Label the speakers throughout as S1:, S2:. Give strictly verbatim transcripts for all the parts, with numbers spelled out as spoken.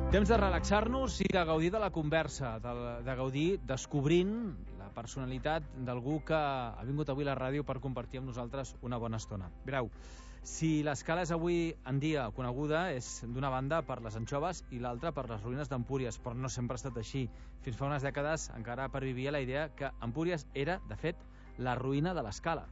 S1: Temps de relaxar-nos i de gaudir de la conversa, de, de gaudir descobrint la personalitat d'algú que ha vingut avui a la ràdio per compartir amb nosaltres una bona estona. Mireu, si l'Escala és avui en dia coneguda és d'una banda per les anxoves i l'altra per les ruïnes d'Empúries, però no sempre ha estat així. Fins fa unes dècades encara pervivia la idea que Empúries era, de fet, la ruïna de l'Escala.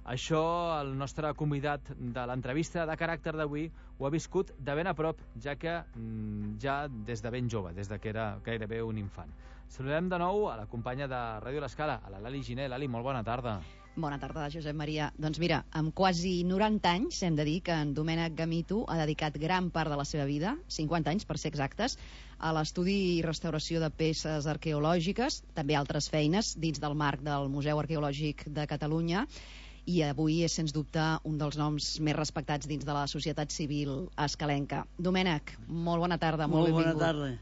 S1: Això el nostre convidat de l'entrevista de caràcter d'avui ho ha viscut de ben a prop, ja que mm, ja des de ben jove, des de que era gairebé un infant. Saludem de nou a la companya de Ràdio l'Escala, a la Lali Giner. Lali, molt bona tarda.
S2: Bona tarda, Josep Maria. Doncs mira, amb quasi noranta anys hem de dir que en Domènec Gamito ha dedicat gran part de la seva vida, cinquanta anys per ser exactes, a l'estudi i restauració de peces arqueològiques, també altres feines dins del marc del Museu Arqueològic de Catalunya, i avui és, sens dubte, un dels noms més respectats dins de la societat civil escalenca. Domènec, molt bona tarda, molt,
S3: molt
S2: benvingut.
S3: Bona tarda.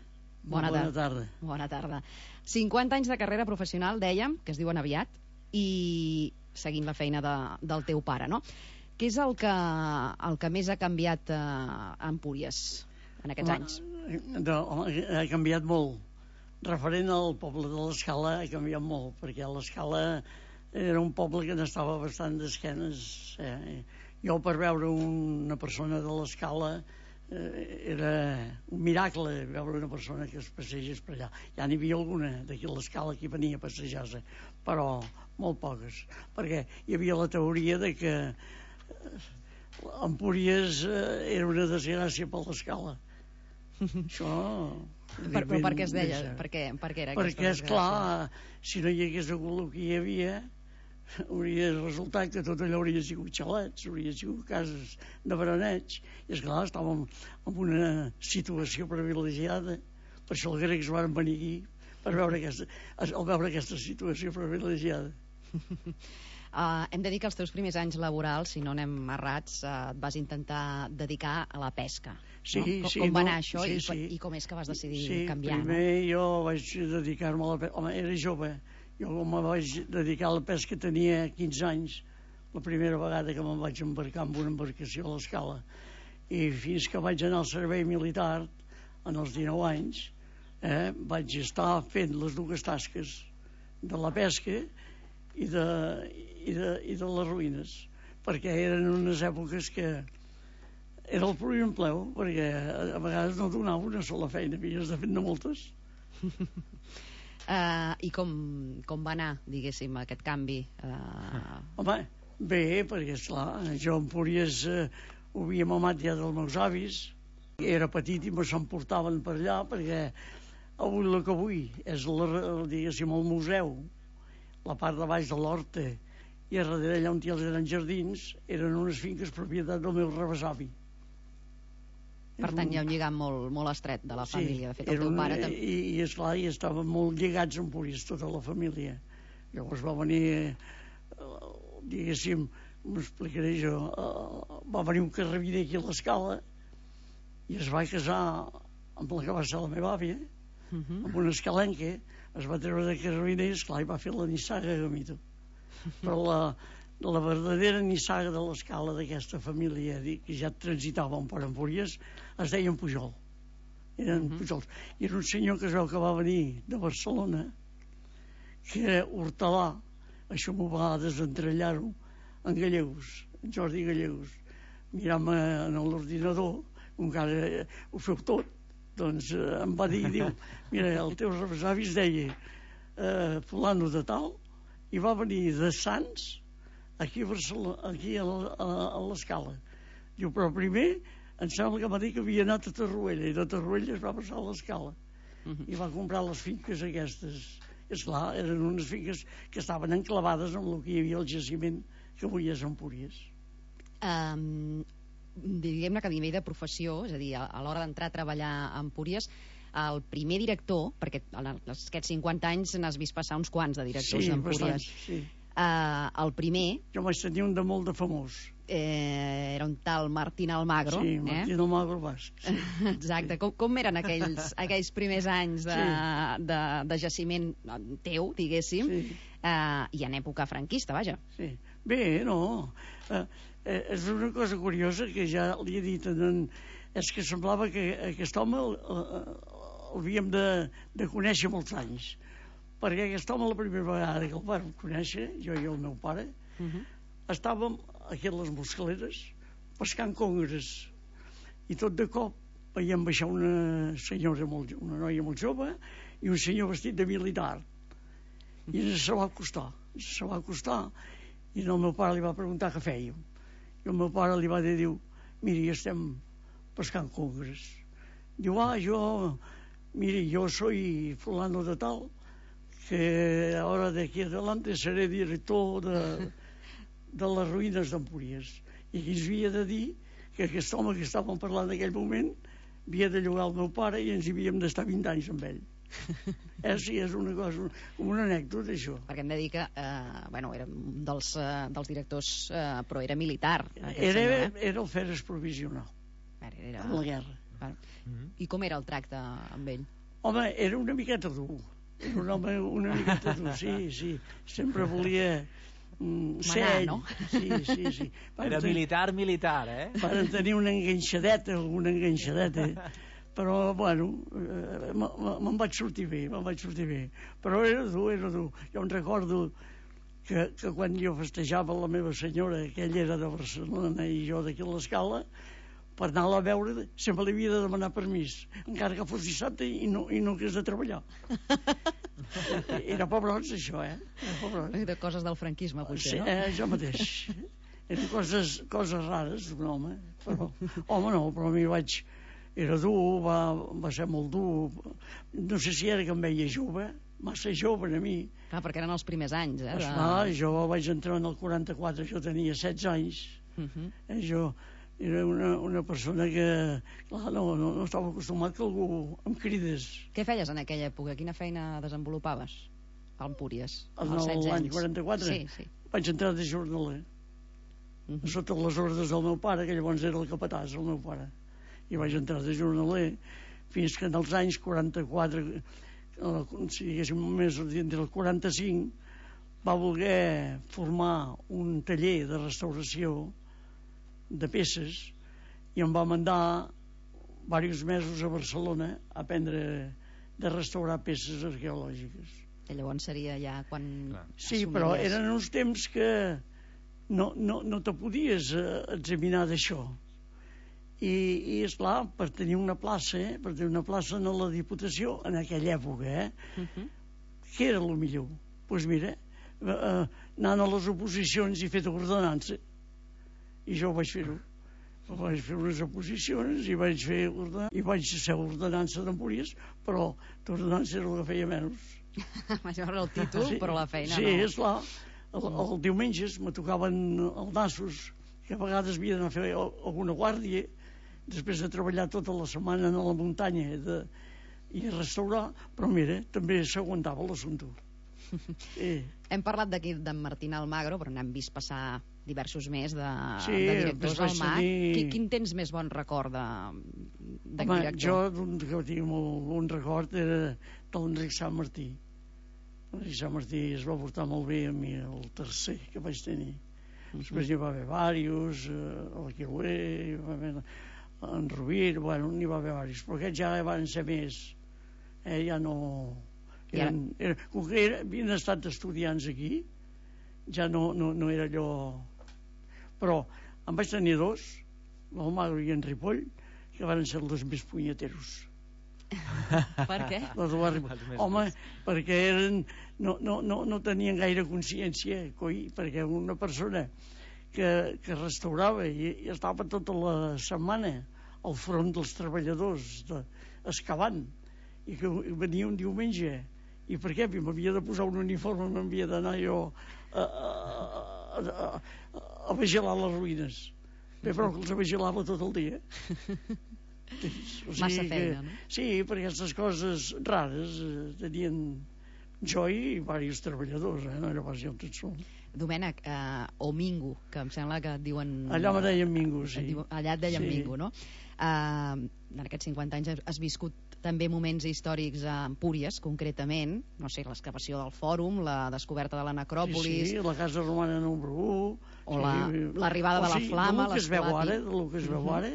S2: Bona,
S3: bona
S2: tarda.
S3: tarda.
S2: Bona tarda. cinquanta anys de carrera professional, dèiem, que es diuen aviat, i seguint la feina de, del teu pare, no? Què és el que, el que més ha canviat eh, a Empúries en aquests
S3: home,
S2: anys?
S3: No, home, ha canviat molt. Referent al poble de l'Escala ha canviat molt, perquè l'Escala era un poble que n'estava bastant d'esquenes. Eh? Jo, per veure una persona de l'Escala, eh, era un miracle veure una persona que es passegés per allà. Ja n'hi havia alguna d'aquí a l'Escala que venia a passejar-se, però molt poques, perquè hi havia la teoria de que Empúries eh, era una desgràcia per l'Escala. Això...
S2: Per, però per què es deia? Per què, per què era
S3: perquè,
S2: aquesta
S3: esclar, si no hi hagués hagut el que hi havia, hauria resultat que tot allò hauria sigut xalets, hauria sigut cases de baraneig, i esclar, estàvem en una situació privilegiada. Per això els grecs van venir aquí per veure aquesta, al veure aquesta situació privilegiada.
S2: Uh, hem de dir que els teus primers anys laborals, si no anem errats, uh, et vas intentar dedicar a la pesca.
S3: Sí,
S2: no? Com,
S3: sí,
S2: com va
S3: no,
S2: anar això
S3: sí,
S2: i,
S3: sí.
S2: i com és que vas decidir
S3: sí,
S2: canviar?
S3: Primer
S2: no?
S3: jo vaig dedicar-me a la pesca. Home, era jove. Jo me vaig dedicar a la pesca, tenia quinze anys, la primera vegada que me'n vaig embarcar amb una embarcació a l'Escala. I fins que vaig anar al servei militar, en els dinou anys, eh, vaig estar fent les dues tasques de la pesca i de, i de, i de les ruïnes, perquè eren unes èpoques que era el primer empleu, perquè a vegades no donava una sola feina, havies de fer-ne moltes.
S2: uh, I com, com va anar, diguéssim, aquest canvi? Uh...
S3: Home, bé, perquè esclar, jo a Empúries eh, ho havia mamat ja dels meus avis, era petit i me s'emportaven per allà, perquè avui el que avui és la, diguéssim, el museu, la part de baix de l'horta, i a darrere allà on hi eren jardins, eren unes finques propietat del meu rebesavi.
S2: Per tant, hi ha un lligam molt, molt estret de la
S3: Sí,
S2: família. De fet, el teu
S3: un,
S2: pare també...
S3: I, i esclar, i estaven molt lligats a Empúries, tota la família. Llavors va venir, eh, diguéssim, m'ho explicaré jo, eh, va venir un carrabiner aquí a l'Escala i es va casar amb la que va ser la meva àvia,
S2: Uh -huh.
S3: amb una escalenca, es va treure de carrabiner, esclar, i va fer la nissaga Gamito. Però la, la verdadera nissaga de l'Escala d'aquesta família que ja transitava per Empúries es deien Pujol. Eren uh -huh. Pujols. I era un senyor que es veu que va venir de Barcelona, que era hortelà, això m'ho va desentrellar-ho, en Gallegos, en Jordi Gallegos. Mirant-me en l'ordinador, encara ho feu tot, doncs eh, em va dir, diu, mira, el teu rebesavi es deia eh, fulano de tal, i va venir de Sants aquí a Barcelona, aquí a l'Escala. Diu, però primer em sembla que va dir que havia anat a Torroella, i de Torroella es va passar a l'Escala. Uh -huh. I va comprar les finques aquestes. Esclar, eren unes finques que estaven enclavades amb el que hi havia al jaciment que avui és Empúries.
S2: Um, diguem-ne que a nivell de professió, és a dir, a, a l'hora d'entrar a treballar a Empúries, el primer director, perquè en aquests cinquanta anys n'has vist passar uns quants de directors
S3: sí,
S2: d'Empúries.
S3: Bastants, sí.
S2: Uh, el primer...
S3: Jo vaig tenir un de molt de famós.
S2: Eh, era un tal Martín Almagro.
S3: Sí, Martín
S2: eh?
S3: Almagro Basc. Sí.
S2: Exacte. Com, com eren aquells, aquells primers anys de,
S3: sí.
S2: de, de jaciment teu, diguéssim,
S3: sí.
S2: uh, i en època franquista, vaja?
S3: Sí. Bé, no... Uh, eh, és una cosa curiosa que ja li he dit en, és que semblava que aquest home l'havíem de, de conèixer molts anys, perquè aquest home la primera vegada que el vam conèixer, jo i el meu pare, uh -huh. estàvem aquí a les Moscaleres pescant congres, i tot de cop veiem baixar una senyora, molt, una noia molt jove, i un senyor vestit de militar, i ens se va acostar, ens se va acostar, i el meu pare li va preguntar què fèiem, i el meu pare li va dir, diu, miri, estem pescant congres. Diu, ah, jo, miri, yo soy fulano de tal, que ahora de aquí adelante seré director de, de les ruïnes d'Empúries. I aquí ens havia de dir que aquest home que estàvem parlant en aquell moment havia de llogar el meu pare i ens hi havíem d'estar vint anys amb ell. Eh, sí, és una cosa, com una anècdota, això.
S2: Perquè hem de dir que, eh, bueno, era un dels, eh, dels directors, eh, però era militar, aquest
S3: era,
S2: senyor, eh?
S3: Era el Feres provisional,
S2: era, era...
S3: en la guerra.
S2: Bueno. I com era el tracte amb ell?
S3: Home, era una miqueta dur. Era un home una miqueta dur, sí, sí. Sempre volia mm, ser
S2: Manar,
S3: ell.
S2: no?
S3: Sí, sí, sí. Van
S1: Era
S3: tenir,
S1: militar, militar, eh?
S3: Van tenir una enganxadeta, alguna enganxadeta. Però, bueno, eh, me'n vaig sortir bé, me'n vaig sortir bé. Però era dur, era dur. Jo em recordo que, que quan jo festejava la meva senyora, que ella era de Barcelona i jo d'aquí a l'Escala, per anar-la a veure sempre li havia de demanar permís, encara que fos dissabte i no, i no hagués de treballar. Era pobrots, això, eh? Era pobrots.
S2: De coses del franquisme, potser,
S3: Sí,
S2: no?
S3: eh, jo mateix. Eren coses, coses rares d'un home. Però, home, no, però a mi vaig... Era dur, va, va ser molt dur. No sé si era que em veia jove, massa jove a mi.
S2: Clar, perquè eren els primers anys, eh? De...
S3: Esclar, jo vaig entrar en el quaranta-quatre, jo tenia setze anys. Uh -huh. eh, jo era una, una persona que, clar, no, no, no estava acostumat que algú em cridés.
S2: Què feies en aquella època? Quina feina desenvolupaves a Empúries?
S3: L'any quaranta-quatre?
S2: Sí, sí.
S3: Vaig entrar de jornaler. Uh -huh. Sota les ordres del meu pare, que llavors era el capatàs, el meu pare. I vaig entrar de jornaler fins que en els anys quaranta-quatre, si diguéssim més entre el quaranta-cinc, va voler formar un taller de restauració de peces i em va mandar diversos mesos a Barcelona a aprendre de restaurar peces arqueològiques.
S2: I llavors seria ja quan...
S3: Sí, però eren uns temps que no, no, no te podies examinar d'això. I, i esclar, per tenir una plaça, eh, per tenir una plaça en la Diputació, en aquella època, eh, uh-huh. què era el millor? Doncs pues mira, eh, anant a les oposicions i fet ordenança, i jo vaig fer-ho. Vaig fer unes oposicions i vaig fer ordenança, i vaig ser ordenança d'Empúries, però l'ordenança era el que feia menys.
S2: Vaig veure el títol, sí, però la feina
S3: sí,
S2: no.
S3: Sí, esclar, el, el diumenges me tocaven els nassos, que a vegades havia d'anar a fer alguna guàrdia, després de treballar tota la setmana a la muntanya de, i a restaurar, però mira, també s'aguantava l'assumpte. Sí.
S2: Hem parlat d'aquí d'en Martín Almagro, però n'hem vist passar diversos més de,
S3: sí,
S2: de directors del M A C.
S3: tenir...
S2: Quin, quin tens més bon record de, de
S3: Home,
S2: director?
S3: jo d'un que tinc molt bon record era de l'Enric Sant Martí. L'Enric Sant Martí es va portar molt bé a mi, el tercer que vaig tenir. Uh -huh. Després n'hi va haver diversos, eh, el Quiluer, hi va haver en Rovira, bueno, n'hi va haver diversos, però aquests ja van ser més, eh, ja no... Eren, eren, com que era, havien estat estudiants aquí, ja no, no, no era allò... Però em vaig tenir dos, l'Almagro i en Ripoll, que van ser els més punyeteros.
S2: Per què?
S3: Home, perquè eren, no, no, no, no tenien gaire consciència, coi, perquè una persona que, que restaurava i, i estava tota la setmana al front dels treballadors de, excavant, i que venia un diumenge, i per què? M'havia de posar un uniforme, m'havia d'anar jo a, a, a, a, a vigilar les ruïnes. Bé, però que els vigilava tot el dia.
S2: O sigui massa feina,
S3: que,
S2: no?
S3: Sí, perquè aquestes coses rares eh, tenien jo i diversos treballadors, eh? No era pas jo tot sol.
S2: Domènec, eh, o Mingo, que em sembla que et diuen...
S3: Allà me deien Mingo, sí.
S2: Diu, allà et deien
S3: sí.
S2: Mingo, no? Eh, en aquests cinquanta anys has viscut també moments històrics a Empúries, concretament, no sé, l'excavació del Fòrum, la descoberta de la necròpolis...
S3: Sí, sí, la Casa Romana número u...
S2: O l'arribada
S3: sí,
S2: de la Flama,
S3: l'esclati... O sigui, del que es veu
S2: uh -huh.
S3: ara,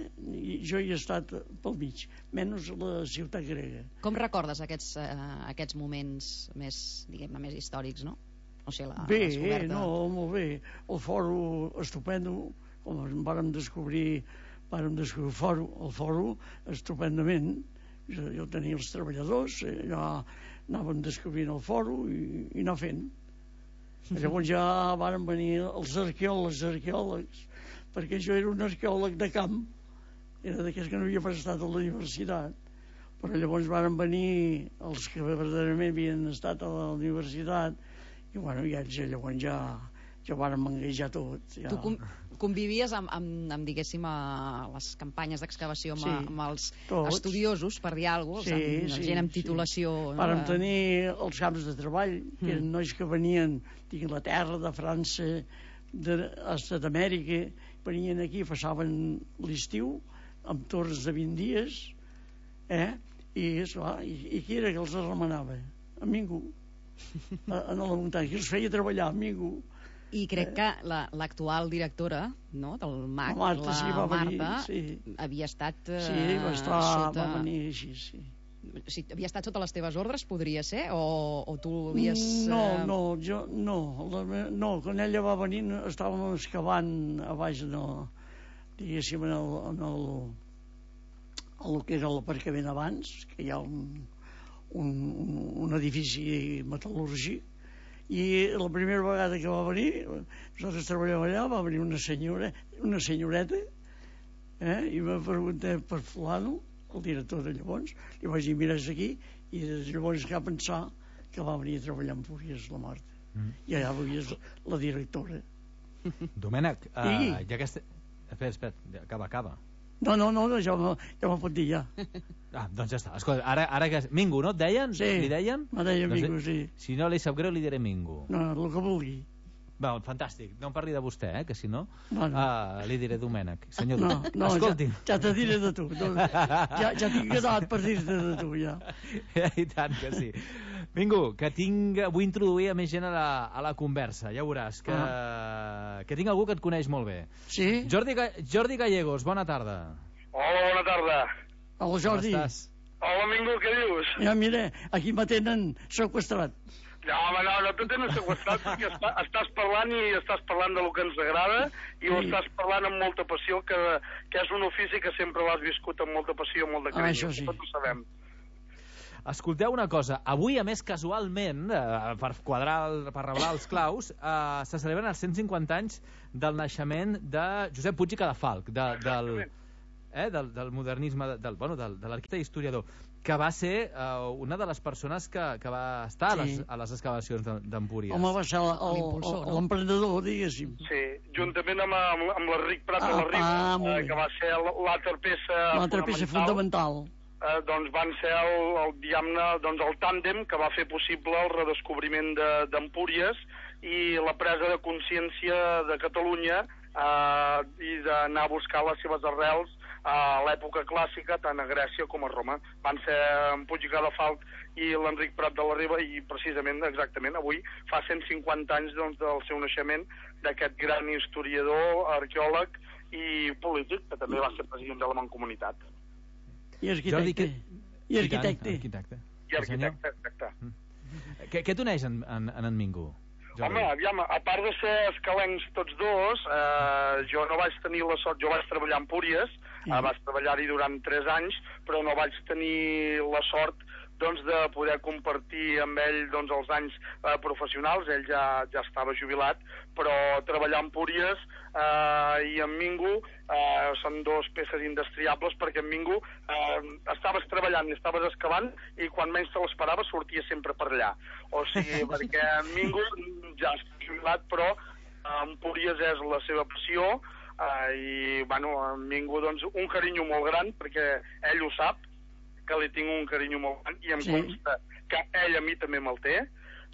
S3: jo hi he estat pel mig, menys la ciutat grega.
S2: Com recordes aquests, eh, aquests moments més, diguem-ne, més històrics, no? O sigui, la,
S3: bé,
S2: la descoberta...
S3: no, molt bé. El fòrum estupendo, com en vàrem descobrir, vàrem descobrir el fòrum, el fòrum estupendament. Jo, jo tenia els treballadors, ja anàvem descobrint el fòrum i, i anar fent. Llavors ja varen venir els arqueòlegs, arqueòlegs, perquè jo era un arqueòleg de camp, era d'aquells que no havia prestat a la universitat, però llavors varen venir els que verdaderament havien estat a la universitat i bueno, i ells llavors ja ja varen manguejar tot. Ja.
S2: Tu com, convivies amb, amb, amb, diguéssim, a les campanyes d'excavació amb,
S3: sí,
S2: amb els
S3: tots.
S2: Estudiosos, per dir alguna cosa,
S3: sí,
S2: amb, amb
S3: sí,
S2: gent amb titulació...
S3: Sí.
S2: No?
S3: Vàrem tenir els camps de treball, que eren mm. nois que venien d'Inglaterra, de França, d'Amèrica, venien aquí, passaven l'estiu, amb torns de vint dies, eh? I, esclar, i, i qui era que els remenava? A ningú. A, a la muntanya, que els feia treballar, a ningú.
S2: I crec que l'actual directora, no?, del M A C,
S3: la Marta,
S2: la
S3: sí, va venir,
S2: Marta,
S3: sí.
S2: havia estat eh,
S3: sí, va, estar,
S2: sota...
S3: va venir així, sí.
S2: Sí, havia estat sota les teves ordres, podria ser? O, o tu havies...
S3: No, no, jo, no. La, no, quan ella va venir estàvem excavant a baix, no, diguéssim, en el, en el, en el que era l'aparcament abans, que hi ha un, un, un edifici metal·lúrgic, i la primera vegada que va venir, nosaltres treballàvem allà, va venir una senyora, una senyoreta, eh, i va preguntar per fulano, el director de llavors, li vaig dir, mira, és aquí, i llavors que va pensar que va venir a treballar amb Empúries, la Marta. Mm. I allà veies la directora.
S1: Domènec, uh, ja que... Este... Espera, espera, acaba, acaba.
S3: No, no, no, ja me, ja me pot dir, ja.
S1: Ah, doncs ja està. Escolta, ara, ara que... Mingo, no et deien?
S3: Sí,
S1: li deien?
S3: me deien
S1: doncs,
S3: Mingo, sí.
S1: Si no li sap greu, li diré Mingo.
S3: No, el que vulgui.
S1: Va, fantàstic. No em parli de vostè, eh, que si no,
S3: bueno.
S1: uh, li diré Domènec. Senyor,
S3: no, no,
S1: escolti.
S3: Ja, ja te diré de tu. No, ja, ja tinc quedat per dir-te de tu, ja.
S1: I tant que sí. Mingo, que tinc... Vull introduir a més gent a la, a la conversa. Ja veuràs que, ah. que tinc algú que et coneix molt bé.
S3: Sí?
S1: Jordi, Jordi Gallegos, bona tarda.
S4: Hola, bona tarda.
S3: Hola, Jordi.
S1: Com estàs?
S4: Hola, Mingo, què dius?
S3: Ja, mira, aquí me tenen seqüestrat.
S4: No, home, no, no te tenen seqüestrat perquè està, estàs parlant i estàs parlant de lo que ens agrada i sí. Ho estàs parlant amb molta passió, que, que és un ofici que sempre l'has viscut amb molta passió, amb molt de carinyo.
S3: Ah, això sí.
S4: Tots ho sabem.
S1: Escolteu una cosa, avui, a més, casualment, eh, per quadrar, el, per reblar els claus, eh, se celebren els cent cinquanta anys del naixement de Josep Puig i Cadafalch, de, del, eh, del, del modernisme, del, bueno, del, de l'arquitecte i historiador, que va ser eh, una de les persones que, que va estar sí. a, les, a les excavacions d'Empúries.
S3: Home, va ser l'emprenedor, no? Diguéssim.
S4: Sí, juntament amb, amb, amb l'Enric Prat ah, de la Riba, ah, eh, que va ser l'altra peça,
S3: peça fundamental.
S4: Eh, doncs van ser el, el, diguem-ne, doncs el tàndem que va fer possible el redescobriment d'Empúries de, i la presa de consciència de Catalunya eh, i d'anar a buscar les seves arrels a l'època clàssica, tant a Grècia com a Roma. Van ser en Puig i Cadafalch i l'Enric Prat de la Riba, i precisament, exactament, avui fa cent cinquanta anys doncs, del seu naixement, d'aquest gran historiador, arqueòleg i polític, que també va ser president de la Mancomunitat.
S3: I arquitecte.
S1: Que...
S3: I arquitecte.
S1: I arquitecte,
S4: I arquitecte, exacte.
S1: Mm. Què, què t'uneix en, en, en en Mingo?
S4: Home, aviam, a part de ser escalencs tots dos, eh, jo no vaig tenir la sort, jo vaig treballar a Empúries, sí. eh, vaig treballar-hi durant tres anys, però no vaig tenir la sort doncs, de poder compartir amb ell doncs, els anys eh, professionals. Ell ja, ja estava jubilat, però treballar a Empúries eh, i en Mingo eh, són dos peces indestriables, perquè en Mingo eh, estaves treballant i estaves excavant i quan menys te l'esperaves sortia sempre per allà. O sigui, perquè en Mingo ja està jubilat, però eh, Empúries és la seva passió eh, i, bueno, en Mingo doncs, un carinyo molt gran, perquè ell ho sap, que li tinc un carinyo molt gran i em sí. consta que ell a mi també me'l té.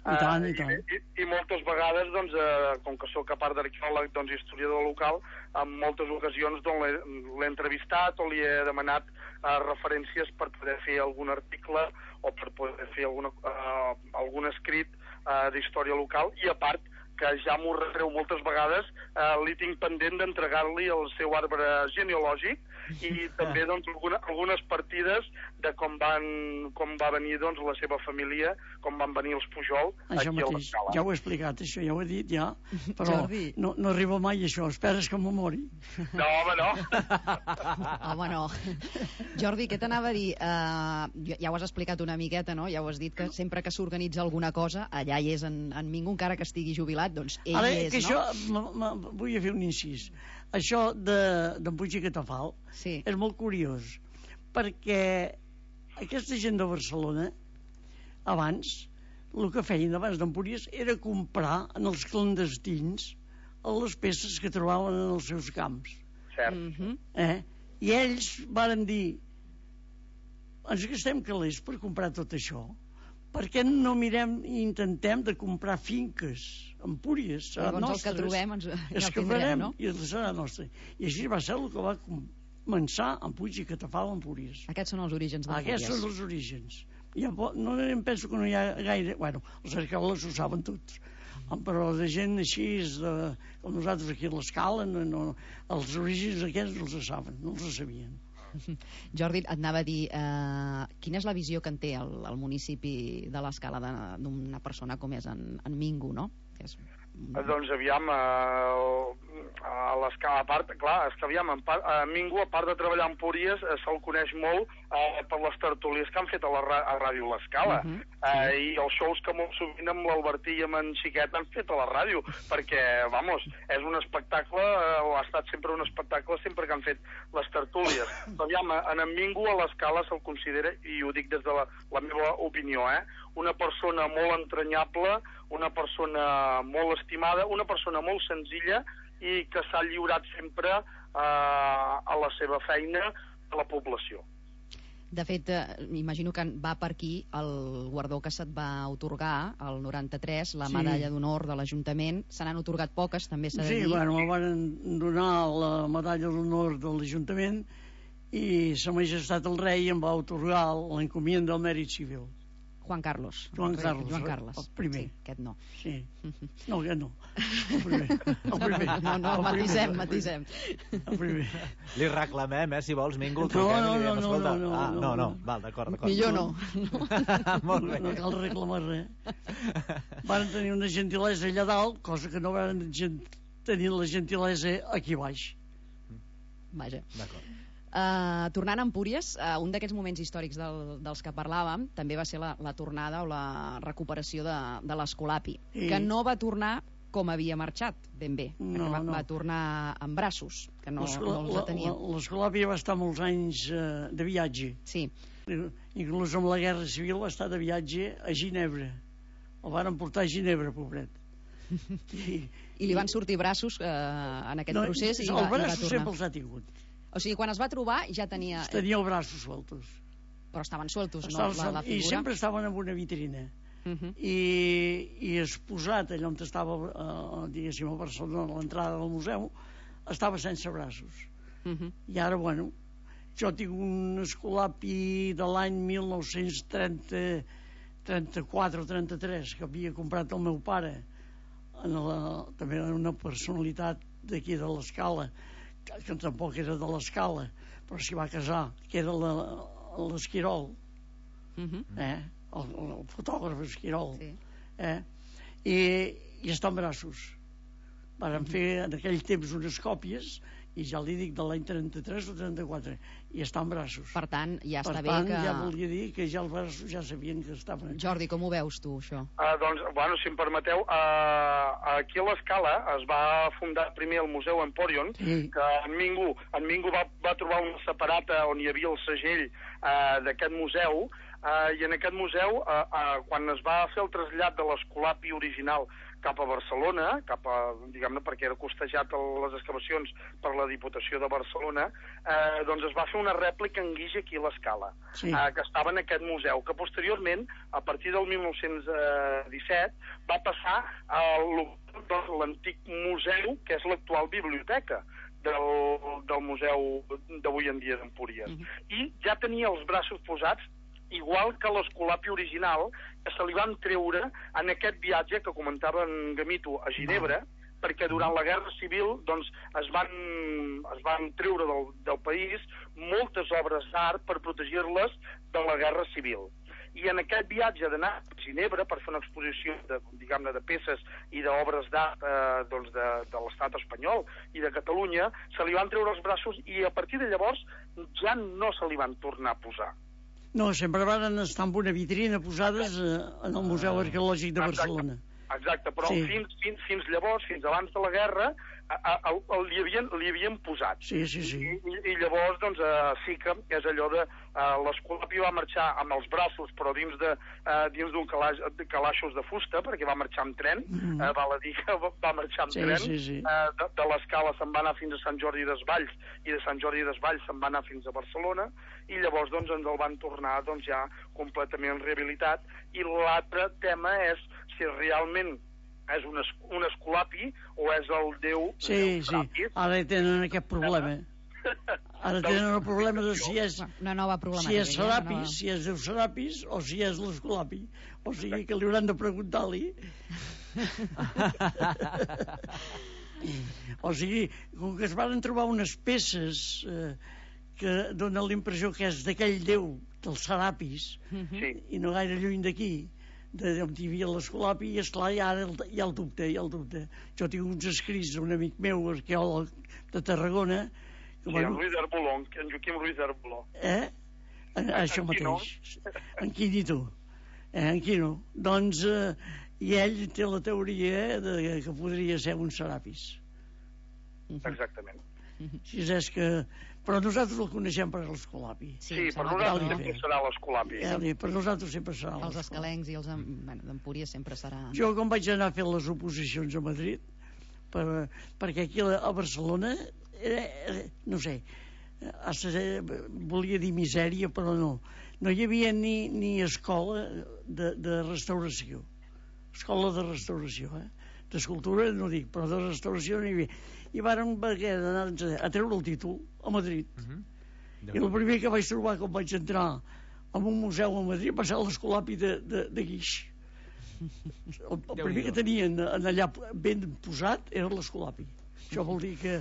S3: I tant, i tant.
S4: I, i, i moltes vegades, doncs, eh, com que sóc a part d'arqueòleg, doncs, historiador local, en moltes ocasions doncs, l'he entrevistat o li he demanat eh, referències per poder fer algun article o per poder fer alguna, eh, algun escrit eh, d'història local, i a part que ja m'ho retreu moltes vegades, eh, li tinc pendent d'entregar-li el seu arbre genealògic i també doncs, alguna, algunes partides de com, van, com va venir doncs, la seva família, com van venir els Pujol
S3: això
S4: aquí
S3: mateix.
S4: a l'Escala.
S3: Ja ho he explicat, això ja ho he dit, ja, però no, no arriba mai això, esperes que m'ho mori.
S4: No, home, no.
S2: Home, no. Jordi, què t'anava a dir? Uh, ja ho has explicat una miqueta, no? Ja ho has dit, que sempre que s'organitza alguna cosa, allà hi és en, en Mingo, encara que estigui jubilat, doncs ell
S3: Ara,
S2: hi és,
S3: que
S2: no?
S3: això, m -m vull fer un incís. Això d'en de, Puig i Catafal
S2: sí.
S3: és molt curiós, perquè aquesta gent de Barcelona, abans, el que feien abans d'Empúries era comprar en els clandestins les peces que trobaven en els seus camps.
S4: Cert.
S2: Mm -hmm.
S3: Eh? I ells varen dir, ens gastem calés per comprar tot això, per què no mirem i intentem de comprar finques, Empúries, serà
S2: Llavors
S3: nostres,
S2: el que trobem ens,
S3: és
S2: ja el
S3: que
S2: tindrem,
S3: farem,
S2: no?
S3: i serà nostre. I així va ser el que va començar en Puig i Catafal, Empúries.
S2: Aquests són els orígens d'Empúries.
S3: Aquests són els orígens. Ja, no em penso que no hi ha gaire... Bueno, els arqueòlegs ho saben tots, però de gent així, de, com nosaltres aquí a l'Escala, no, no, els orígens aquests no els saben, no els sabien.
S2: Jordi, et anava a dir, eh, quina és la visió que en té el, el municipi de l'Escala d'una persona com és en, en Mingo, no? Que és...
S4: Doncs aviam, eh, a l'Escala, a part, clar, és que aviam, en part, a Mingo, a part de treballar a Empúries, eh, se'l coneix molt eh, per les tertúlies que han fet a la a Ràdio L'Escala, uh -huh, eh, sí. i els shows que molt sovint amb l'Albertí i amb en Xiquet han fet a la ràdio, perquè, vamos, és un espectacle, eh, o ha estat sempre un espectacle sempre que han fet les tertúlies. Aviam, en en Mingo a l'Escala se'l considera, i ho dic des de la, la meva opinió, eh, una persona molt entranyable, una persona molt estimada, una persona molt senzilla i que s'ha lliurat sempre eh, a la seva feina a la població.
S2: De fet, eh, imagino que va per aquí el guardó que se't va otorgar, el noranta-tres, la
S3: sí.
S2: medalla d'honor de l'Ajuntament. Se n'han otorgat poques, també s'ha de
S3: sí,
S2: dir.
S3: Sí, bueno, em van donar la medalla d'honor de l'Ajuntament i Sa Majestat el Rei em va otorgar l'encomienda del mèrit civil.
S2: Juan Carlos.
S3: Joan Carlos,
S2: Joan Carles.
S3: el primer.
S2: Sí, aquest no.
S3: Sí. No, aquest no. El primer. El primer.
S2: No, no,
S3: el
S2: matisem,
S3: primer.
S2: matisem.
S3: El primer.
S1: Li reclamem, eh, si vols, Mingo.
S3: No, no,
S1: no,
S3: no, no, no,
S1: ah,
S3: no,
S1: no, no,
S3: no.
S1: val, d'acord, d'acord.
S2: Millor no.
S1: Molt bé.
S3: No cal reclamar res. Van tenir una gentilesa allà dalt, cosa que no van tenir la gentilesa aquí baix.
S2: Vaja.
S1: D'acord.
S2: Uh, tornant a Empúries, uh, un d'aquests moments històrics del, dels que parlàvem també va ser la, la tornada o la recuperació de, de l'Escolapi,
S3: sí.
S2: que no va tornar com havia marxat, ben bé,
S3: no,
S2: va,
S3: no.
S2: va tornar amb braços, que no, no els tenia.
S3: L'Escolapi va estar molts anys uh, de viatge.
S2: Sí.
S3: Inclús amb la Guerra Civil va estar de viatge a Ginebra. El van portar a Ginebra, pobret.
S2: I, I li van sortir braços eh, en aquest
S3: no,
S2: procés i
S3: el
S2: va, i va
S3: braços
S2: tornar.
S3: sempre els ha tingut.
S2: O sigui, quan es va trobar ja tenia...
S3: Tenia els braços sueltos.
S2: Però estaven sueltos,
S3: estaven
S2: no? La, la figura.
S3: I sempre estaven en una vitrina.
S2: Uh -huh.
S3: I, i exposat allà on estava, eh, diguéssim, a Barcelona, a l'entrada del museu, estava sense braços.
S2: Uh -huh.
S3: I ara, bueno, jo tinc un Escolapi de l'any mil nou-cents trenta-quatre o trenta-tres que havia comprat el meu pare, en la, també una personalitat d'aquí de l'Escala, que, que tampoc era de l'Escala, però s'hi va casar, que era l'Esquirol,
S2: uh -huh.
S3: eh? el, el fotògraf Esquirol,
S2: sí.
S3: eh? I, i està en braços. Varen uh -huh. fer en aquell temps unes còpies, i ja li dic de l'any trenta-tres o trenta-quatre, i està en braços.
S2: Per tant, ja
S3: per
S2: està
S3: tant,
S2: bé que...
S3: ja volia dir que ja els braços ja sabien que estaven...
S2: Jordi, com ho veus tu, això?
S4: Uh, doncs, bueno, si em permeteu, uh, aquí a l'Escala es va fundar primer el Museu Emporion,
S3: sí.
S4: que en Mingo, en Mingo va, va trobar una separata on hi havia el segell uh, d'aquest museu, uh, i en aquest museu, uh, uh, quan es va fer el trasllat de l'Escolapi original cap a Barcelona, cap a, diguem-ne, perquè era costejat a les excavacions per la Diputació de Barcelona, eh, doncs es va fer una rèplica en guix aquí a l'Escala, sí. eh, que estava en aquest museu, que posteriorment, a partir del mil nou-cents disset, va passar a l'antic museu, que és l'actual biblioteca del, del museu d'avui en dia d'Empúries. Uh-huh. I ja tenia els braços posats igual que l'Escolapi original, que se li van treure en aquest viatge que comentava en Gamito a Ginebra, perquè durant la Guerra Civil doncs, es, van, es van treure del, del país moltes obres d'art per protegir-les de la Guerra Civil. I en aquest viatge d'anar a Ginebra per fer una exposició de, diguem-ne, de peces i d'obres d'art eh, doncs de, de l'estat espanyol i de Catalunya, se li van treure els braços i a partir de llavors ja no se li van tornar a posar.
S3: No, sempre van estar en una vitrina posades eh, en el Museu Arqueològic de Barcelona.
S4: Exacte, exacte però sí. fins, fins, fins llavors, fins abans de la guerra, a, a, a, li, havien, li havien posat.
S3: Sí, sí, sí.
S4: I, i llavors, doncs, uh, sí que és allò de... Uh, l'Escolapi va marxar amb els braços, però dins de uh, dins d'un calaix, de calaixos de fusta, perquè va marxar amb tren, mm. uh, val a dir que va marxar amb
S3: sí,
S4: tren.
S3: Sí, sí.
S4: Uh, de, de l'Escala se'n va anar fins a Sant Jordi Desvalls, i de Sant Jordi Desvalls se'n va anar fins a Barcelona, i llavors, doncs, ens el van tornar, doncs, ja completament rehabilitat. I l'altre tema és si realment és un, es, un Escolapi o és el déu...
S3: Sí, sí, ara tenen aquest problema. Ara tenen el problema de si és...
S2: Una nova problemàtica.
S3: Si és Serapis, nova... si és Déu Serapis o si és l'Escolapi. O sigui que li hauran de preguntar-li. O sigui, com que es van trobar unes peces eh, que donen la impressió que és d'aquell déu, del Serapis,
S4: sí.
S3: i no gaire lluny d'aquí, d'on hi havia l'Escolapi, i esclar, i ara hi ha el dubte, hi ha el dubte. Jo tinc uns escrits d'un amic meu, arqueòleg de Tarragona, que,
S4: sí,
S3: bueno,
S4: en Ruiz d'Arboló, en Joaquim Ruiz d'Arboló.
S3: Eh? En, això en mateix. En Quinito. Eh, en Quino. Doncs, eh, i ell té la teoria de que podria ser un Serapis.
S4: Exactament.
S3: Si és que... Però nosaltres el coneixem per l'Escolapi.
S4: Sí, sí, per nosaltres sempre serà l'Escolapi.
S3: Eh, per nosaltres sempre serà
S2: l'Escolapi. Els escalencs i els bueno, d'Empúries sempre serà...
S3: Jo, quan vaig anar a fer les oposicions a Madrid, per, perquè aquí a Barcelona, era, era, no sé, volia dir misèria, però no. No hi havia ni, ni escola de, de restauració. Escola de restauració, eh? D'escultura no dic, però de restauració no hi havia. I vàrem anar a treure el títol a Madrid. Uh-huh. I el primer que vaig trobar quan vaig entrar en un museu a Madrid va ser l'Escolapi de, de, de Guix. El, el primer que tenien allà ben posat era l'Escolapi. Això vol dir que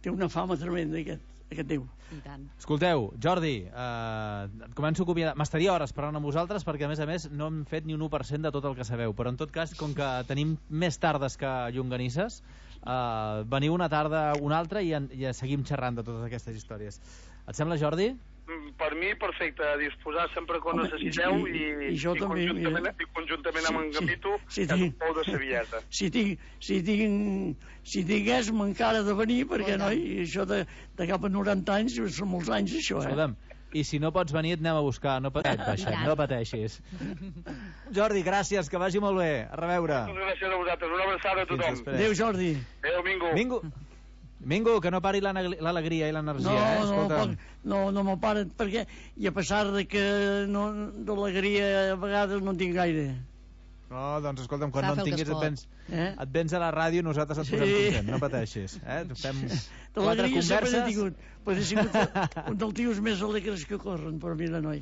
S3: té una fama tremenda aquest, aquest déu.
S1: Escolteu, Jordi, eh, començo a acomiadar. M'estaria hores parlant amb vosaltres perquè, a més a més, no hem fet ni un u per cent de tot el que sabeu, però en tot cas, com que tenim més tardes que llonganisses, eh, veniu una tarda una altra i, en, i seguim xerrant de totes aquestes històries. Et sembla, Jordi?
S4: Per mi, perfecte, a disposar sempre quan necessiteu i,
S3: i, i, jo
S4: i,
S3: també,
S4: conjuntament, i conjuntament
S3: sí,
S4: amb en Gamito
S3: sí, sí,
S4: és un pou de saviesa.
S3: Si tinc, si tinc, si tingués encara de venir, perquè no, i això de, de cap a noranta anys, són molts anys això, eh?
S1: Escolta'm, i si no pots venir et anem a buscar, no pateixis, no pateixis. Jordi, gràcies, que vagi molt bé, a reveure.
S4: Moltes gràcies a vosaltres, una abraçada a tothom.
S3: Adéu, Jordi.
S4: Adéu, Mingo.
S1: Mingo. Mingo, que no pari l'alegria i l'energia,
S3: no,
S1: eh?
S3: Escolta'm. No, no, no me'l paren, perquè, i a pesar de que no, de l'alegria a vegades no en tinc gaire.
S1: No, doncs escolta'm, quan no en tinguis et vens,
S3: eh?
S1: et vens a la ràdio i nosaltres et posem sí. content, no pateixis. Eh? Fem
S3: de l'alegria sempre he tingut, però he sigut un dels tios més alegres que corren, per mi de noi.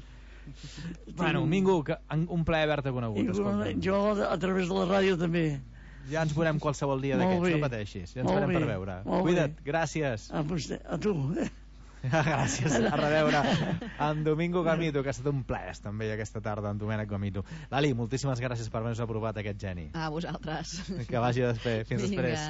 S1: Bueno, Mingo, que, un plaer haver-te conegut.
S3: I, jo a través de la ràdio també.
S1: Ja ens veurem qualsevol dia d'aquests, no pateixis. Ja ens veurem per veure. Cuida't, gràcies.
S3: A, vostè, a tu.
S1: Gràcies, a reveure en Domingo Gamito, que ha estat un plaer també aquesta tarda, en Domènec Gamito. Lali, moltíssimes gràcies per haver-nos aprovat aquest geni.
S2: A vosaltres.
S1: Que vagi després. Fins després.